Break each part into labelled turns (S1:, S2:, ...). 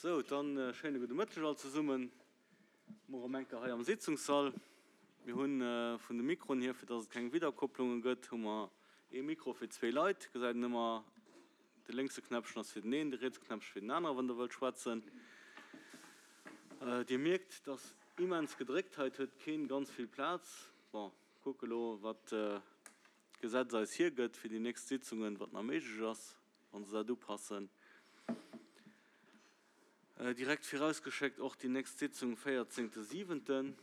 S1: Sou, dann schéine gudde Mëtteg all zesummen. Mol erëm eng Kéier hei am Sitzungssall. Mir hunn vun de Mikroen hier, fir dass et keng Widderkopplunge gëtt, hu mer ee Mikro fir zwee Leit. Gesäit een ëmmer, de lénkse Knäppchen ass fir den een, de rietse Knäppchen fir den aneren, wann Der wëllt schwätzen. Dir mierkt, et ass immens gedréckt hei, et huet keen ganz vill Plaz. Bon, kucke lo, wat d'Gesetz eis hiergëtt fir déi nächst Sitzungen, wat nach méiglech ass, wa se dat upassen. Direkt virausgeschéckt och déi nächst Sitzung, véierzéngte siwenten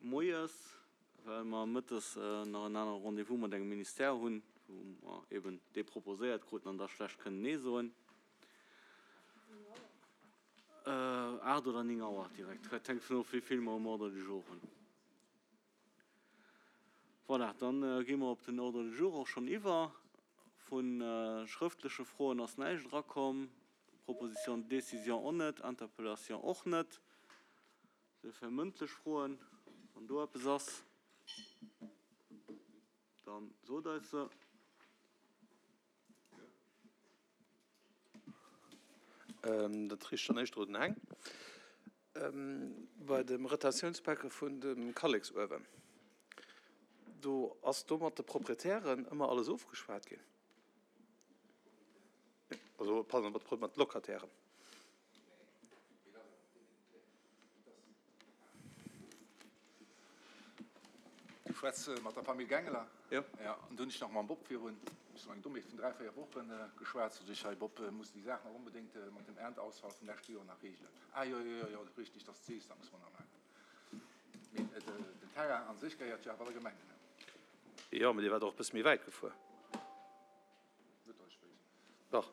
S1: moies, well mer mëttes nach en anere Rendez-vous mat engem Ministère hunn, wou mer eben dee proposéiert kruten an da schlecht kënnen Nee soen. 8 oder 9 Auer direkt, dat hänkt vun of, wéi vill mer um Ordre du jour hunn. Voilà, dann gi mer op den Ordre du jour och schonn iwwer. Vu schrëftleche Froen ass näischt erakomm, Proposition de décision och net, Interpellation och net. Duerfir mëndlech Froen, wann do eppes ass, da sot eis se.
S2: Dat riicht dann éischter un den Heng. Bei dem Retentiounsbecke vun dem Kalleksuewen, do ass do mat de Proprietären ëmmer alles ofgeschwat ginn? Also, pardon, mat de Locatairen.
S3: Du schwätz mat der Famill Gengler?
S2: Jo.
S3: Ja, an do hunn ech nach mam Bob virun, ech soen eng Dommheet, vun 3, 4 Wochen geschwat. Sot ech, hei Bob, muss déi Saach nach onbedéngt mat dem Ernteausfall vum leschte Joer nach reegelen. Ah jo, jo, jo, jo, richtig, dass d'Sees, dat muss mer nach maachen. Mee den Terrain a sech gehéiert jo awer der Gemeng, ne?
S2: Jo, mee Dir waart och e bësse méi wäit gefuer.
S3: Net, datt ech wéisst.
S2: Dach.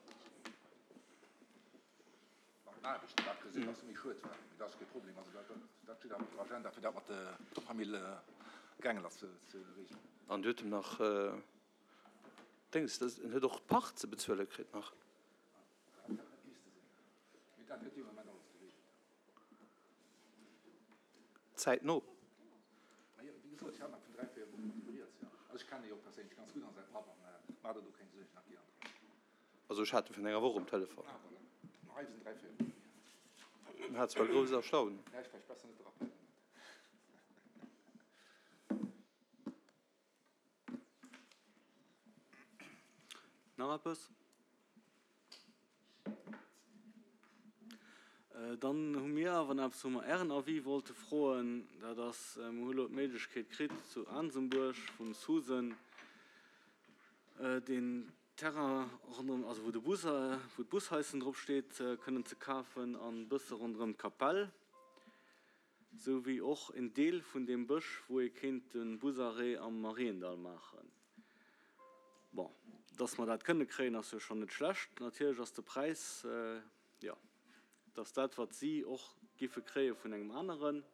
S3: Mat den Aarbechten, dat gesinn, ass méi schued war, mee dat ass kee Problem. Also dat, dat steet awer op der Agenda, fir dat mat der Famill Gengler ze, ze reegelen.
S2: An huet em nach Déngs, en huet och Pacht ze bezuele kritt nach.
S3: Dat hätt net misste sinn, mee dat gëtt dee Moment alles gereegelt.
S2: Zäitno.
S3: Majo, wéi gesot, ech hat nach vun 3, 4 Wochen mat him rieds, jo. Also ech kennen e jo perséinlech ganz gutt an säi Papp an maach der do keng Suergen, dat geet an d'Rei.
S2: Also ech hat e virun enger Woch um Telefon.
S3: Ah voilà, ma hei sinn 3, 4 Wochen
S2: hier. En hat zwar grouss Erstaunen.
S3: Hätt ech vläicht besser net de Rappel gemaach.
S1: Nach eppes? Dann hu mir awer nach eppes, wou mer Ären Avis wollte froen. Dat ass, mir hu elo d'Méiglechkeet kritt zu Aansembuerg vum Susan, deen Terrain ronderëm, also wou de Bus, wou d'Bushaischen drop steet, kënnen ze kafen an e bësse ronderëm d'Kapell, sou wéi och en Deel vun deem Bësch, wou ee kéint de Busarrêt am Mariendall maachen. Bon, dass mer dat kënne kréien, ass jo schonn net schlecht. Natierlech ass de Präis, jo, et ass dat, wat si och giffe kréie vun engem aneren.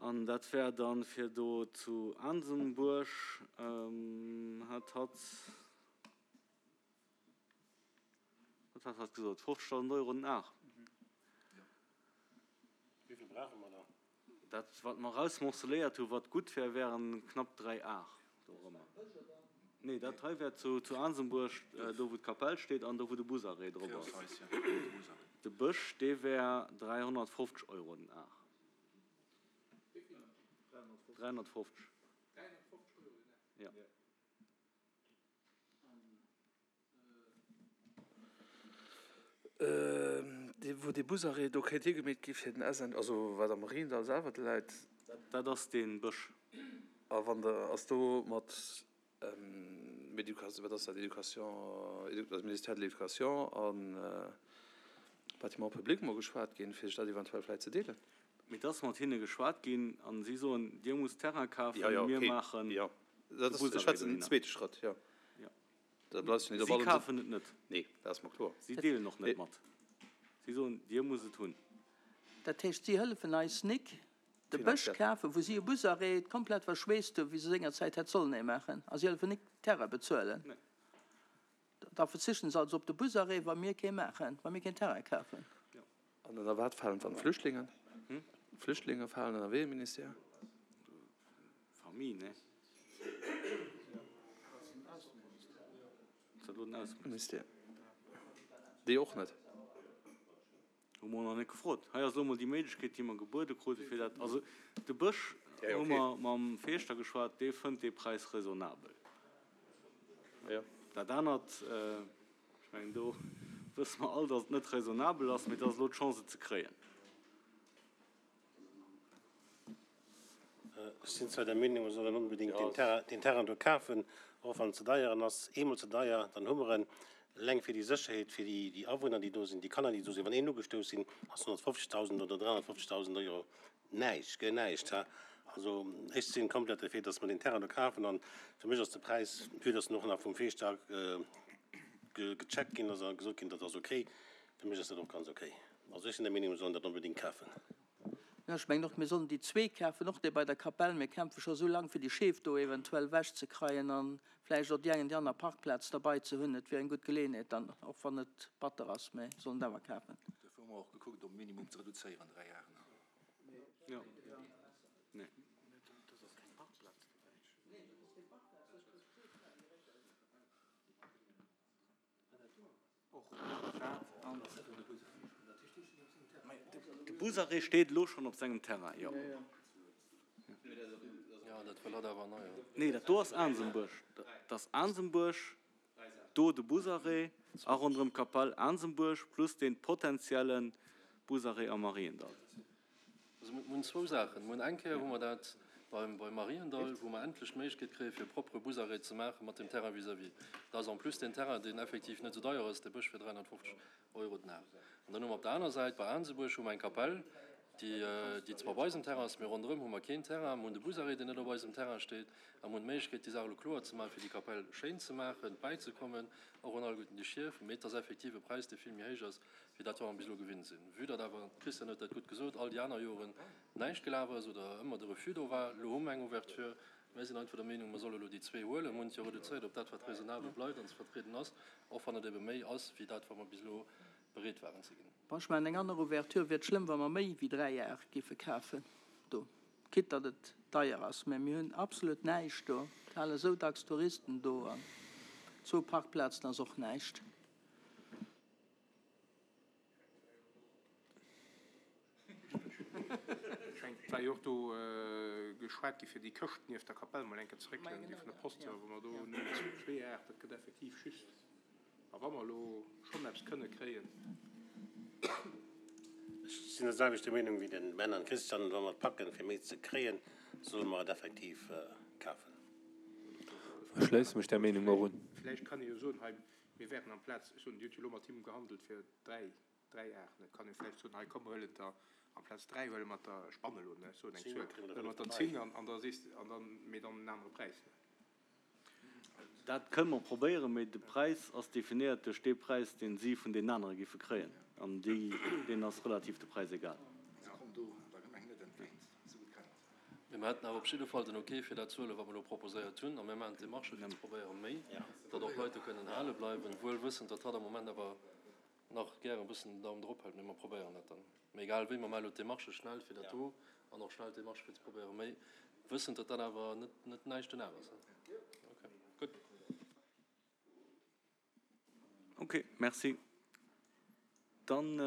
S1: An dat wär dann, fir do zu Aansembuerg, hat hatt, wat hat hatt gesot, 50.000 Euro den Ar.
S4: Wéi vill brauche mer da?
S1: Dat, wat mer erausmorceléiert hu wat gutt wär, wären knapp 3 Ar dorëmmer. Nee, dat hei wär zu Aansembuerg, do wou d'Kapell steet an do wou de Busarrêt drop ass. De Bësch, dee wär 350 Euro den Ar. 350. Jo.
S2: Dee wou dee Busarrêt do kéint higemeet gi fir den SN, also wat am Mariendall selwer läit.
S1: Dat ass dee Bësch.
S2: A wann der, ass do mat Education, wat ass dat, Education, also Ministère de l'Éducation a Bâtiments publics mol geschwat ginn, fir sech dat eventuell vläicht ze deelen?
S1: Mee et ass mat hinne geschwat ginn a si soen, Dir musst Terrain kafen, mir maachen
S2: de Busarrêt dohinner. Zweete Schrëtt, jo.
S1: Si kafen et net.
S2: Nee, dat ass mer kloer.
S1: Si deelen och net mat. Si soen, Dir musst et hunn.
S5: Dat heescht, si hëllefen eis nik de Bësch kafen, wou si e Busarrêt komplett verschweesst hunn, wéi se sengerzäit hätt sollen ee maachen, a si hëllefen nik Terrain bezuelen. Da verzichten se also op de Busarrêt, wa mir kee maachen, wa mir keen Terrain kafen.
S2: An ënner wat falen dann d'Flüchtlingen? D'Flüchtlinge falen ënner wéi ee Ministère?
S1: Famille, ne? Ass dat elo den Ausseministère?
S2: Déi och net.
S1: Hu mer och nach net gefrot. Hei ass elo emol déi Méiglechkeet, déi mer gebuede krute fir dat. Also de Bësch hu mer mam Fierschter geschwat, dee fënnt dee Präis raisonnabel. Dat anert, ech mengen do wësse mer all, datt et net raisonnabel ass, mee et ass elo d'Chance et ze kréien.
S4: Ech sinn zwar der Meenung, mer sollen onbedéngt deen Terrain do kafen, och wann en ze deier en ass. Eemol ze deier, dann hu mer en. Eleng fir déi Sécherheet fir déi Awunner, déi do sinn, déi Kanner, déi do sinn. Wann een ugestouss sinn, ass 150.000 oder 350.000 Euro näischt, guer näischt. Also ech sinn komplett derfir, datt mer deen Terrain do kafen. An fir mech ass de Präis, vue datt en och nach vum Fierschter gecheckt ginn ass a gesot ginn, dat ass okay, fir mech ass dat och ganz okay. Also ech sinn der Meenung, mer sollen dat onbedéngt kafen.
S5: Jo, ech mengen och, mir sollen déi zwee kafen, och dee bei der Kapell. Mir kämpfe scho sou laang, fir déi Scheef do eventuell ewechzekreien a vläicht och déi eng an déi aner Parkplaz derbei ze hunn. Et wier eng gutt Geleeënheet dann, och wann et batter ass, mä sollen et awer kafen.
S3: Duerfir hu mer och gekuckt, op Minimum ze reduzéieren, 3 Jaren.
S1: Jo. Nee. De Busarrêt steet elo schonn op sengem Terrain, jo. Nee, dat do ass Aansembuerg. Dat ass Aansembuerg, do de Busarrêt a ronderëm d'Kapell Aansembuerg plus dee potenzielle Busarrêt am Mariendall.
S2: Also mir hunn zwou Saachen. Mir hunn eng Kéier hu mer dat beim beim Mariendall, wou mer endlech d'Méiglechkeet kréie fir e propere Busarrêt ze maache mat dem Terrain vis-à-vis. Dat ass en plus deen Terrain, deen effektiv net esou deier ass, dee Bësch fir 350 Euro den Ar. An dann hu mer op der aner Säit bei Aansebuerg hu mer eng Kapell, déi déi zwar op eisem Terrain ass, mee ronderëm hu mer keen Terrain. Mir hunn de Busarrêt, deen net op eisem Terrain steet a mir hunn d'Méiglechkeet déi Saach elo kloer ze maachen, fir déi Kapell schéin ze maachen, bäizekommen och un alleguerten déi Schief. Mee et ass effektiv e Präis, dee vill méi héich ass wéi dat wat mer bis elo gewinnt sinn. Vue datt awer, d'Christiane huet dat gutt gesot, all déi aner Joren näischt gelaf ass oder ëmmer de Refus do war, elo hu mer eng Ouverture. Mir sinn einfach der Meenung, mer solle elo déi zwee huelen. Mer hunn et jo reduzéiert op dat, wat raisonnabel bleift an ze vertrieden ass, och wann et ebe méi ass wéi dat, wat mer bis elo bereet waren ze ginn.
S5: Bon, ech maachen eng aner Ouverture. Wier et schlëmm, wa mer méi wéi 3 Ar géife kafen do? Quitte datt et deier ass, mä mir hunn absolut näischt do. Et hale sou dacks Touristen do an zwou Parkplazen ass och näischt.
S6: Ech mengen, et war jo och do geschwat gi fir déi Këscht nieft der Kapell mol eng Kéier ze réckelen, déi vun der Post, wou mer do nëmmen zwee Aart, dat gëtt effektiv just, a wa mer elo schonn eppes kënne kréien.
S4: Ech sinn der selwechter Meenung wéi den Ben an Christian, wa mer et packen fir méi ze kréien, solle mer et effektiv kafen.
S7: Ech schléisse mech där Meenung och un.
S6: Vläicht kann ee jo soen, hei, mir wären amplaz, ech soen, Dir hutt jo elo mat him gehandelt fir 3, 3 Aarten. Et kann ee vläicht soen, hei komm mer huelen der amplaz 3 huele mer der, ech spannen elo, ne, ech soen eng Zuel, huele mer der 10 an an da sees de, an dann, mee dann en anere Präis, ne.
S1: Dat kënne mer probéieren, mee de Präis ass definéiert duerch dee Präis, dee si vun deenen anere géife kréien, an déi, deenen ass relativ de Präis egal.
S3: Se kommen do der Gemeng net entgéint, esou gutt kennen se.
S2: Mee mer hätten awer op jidde Fall den Ok fir dat ze huelen, wat mer elo proposéiert hunn. A mir maachen d'Demarche fir ze probéieren, méi, datt och Leit do kënnen hale bleiwen, wuel wëssend, datt hatt am Moment awer nach gären e bëssen den Daum drop hält. Mee mer probéieren dat dann. Mee egal wéi, mer maache elo d'Demarche schnell fir dat do an och schnell d'Demarche fir ze probéieren, méi, wëssend, datt dat awer net, net näischt den awer ass. Ok, gutt.
S1: Ok, merci. Dann.